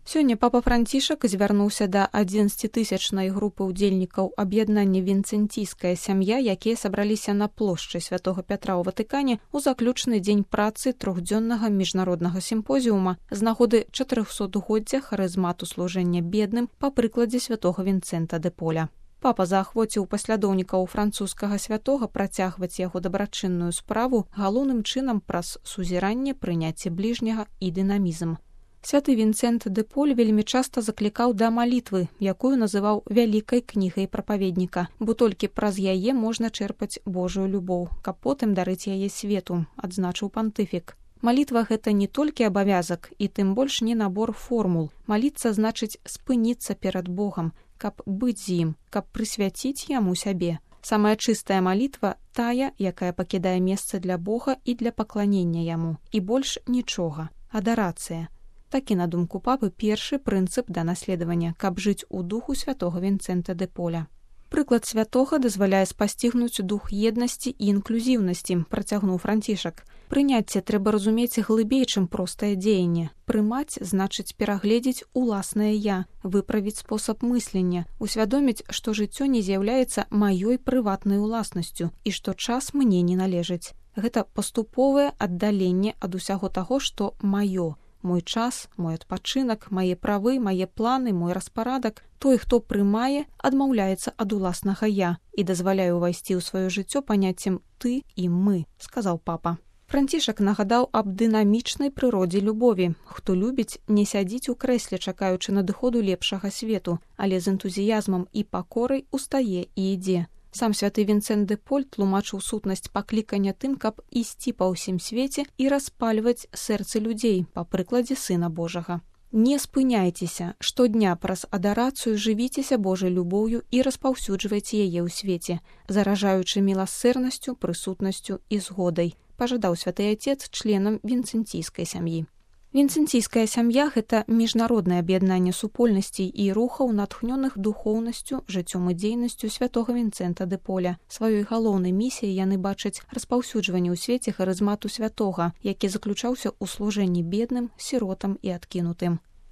Сёння папа Францішак звярнуўся да 11-тысячнай групы ўдзельнікаў аб'яднання «Вінцэнційская сям'я», якія сабраліся на плошчы Святога Пятра ў Ватыкане ў заключны дзень працы трохдзённага міжнароднага сімпозіума з нагоды 400-годдзя харызмату служэння бедным па прыкладзе святога Вінцэнта де Поля. Папа заахвоціў паслядоўнікаў французскага святога працягваць яго дабрачынную справу галоўным чынам праз сузіранне, прыняцце бліжняга і дынамізм. Святы Вінцэнт де Поль вельмі часта заклікаў да малітвы, якую называў вялікай кнігай прапаведніка, бо толькі праз яе можна чэрпаць Божую любоў, каб потым дарыць яе свету, адзначыў пантыфік. Малітва – гэта не толькі абавязак і тым больш не набор формул. Маліцца значыць спыніцца перад Богам, каб быць з ім, каб прысвяціць яму сябе. Самая чыстая малітва – тая, якая пакідае месца для Бога і для пакланення яму. І больш нічога. Адарацыя. Такі, на думку папы, першы прынцып да наследавання, каб жыць у духу святога Вінцэнта де Поля. Прыклад святога дазваляе спасцігнуць дух еднасці і інклюзіўнасці, працягнуў Францішак. Прыняцце трэба разумець глыбей, чым простае дзеянне. Прымаць значыць перагледзець уласнае «я», выправіць спосаб мыслення, усвядоміць, што жыццё не з'яўляецца маёй прыватнай уласнасцю і што час мне не належыць. Гэта паступовае аддаленне ад усяго таго, што маё. Мой час, мой адпачынак, мае правы, мае планы, мой распарадак. Той, хто прымае, адмаўляецца ад уласнага «я» і дазваляе ўвайсці ў сваё жыццё паняццем «ты» і «мы», сказаў папа. Францішак нагадаў аб дынамічнай прыродзе любові. Хто любіць, не сядзіць у крэсле, чакаючы надыходу лепшага свету, але з энтузіязмам і пакорай устае і ідзе. Сам святы Вінцэнт де Поль тлумачыў сутнасць паклікання тым, каб ісці па ўсім свеце і распальваць сэрцы людзей па прыкладзе Сына Божага. Не спыняйцеся, штодня праз адарацыю жывіцеся Божай любоўю і распаўсюджвайце яе ў свеце, заражаючы міласэрнасцю, прысутнасцю і згодай, пажадаў святы Отец членам вінцэнційскай сям'і. Вінцэнційская сям'я – гэта міжнароднае аб'яднанне супольнасцей і рухаў, натхнёных духоўнасцю, жыццём і дзейнасцю святога Вінцэнта де Поля. Сваёй галоўнай місіяй яны бачаць распаўсюджванне ў свеце харызмату святога, які заключаўся ў служэнні бедным, сіротам і адкінутым.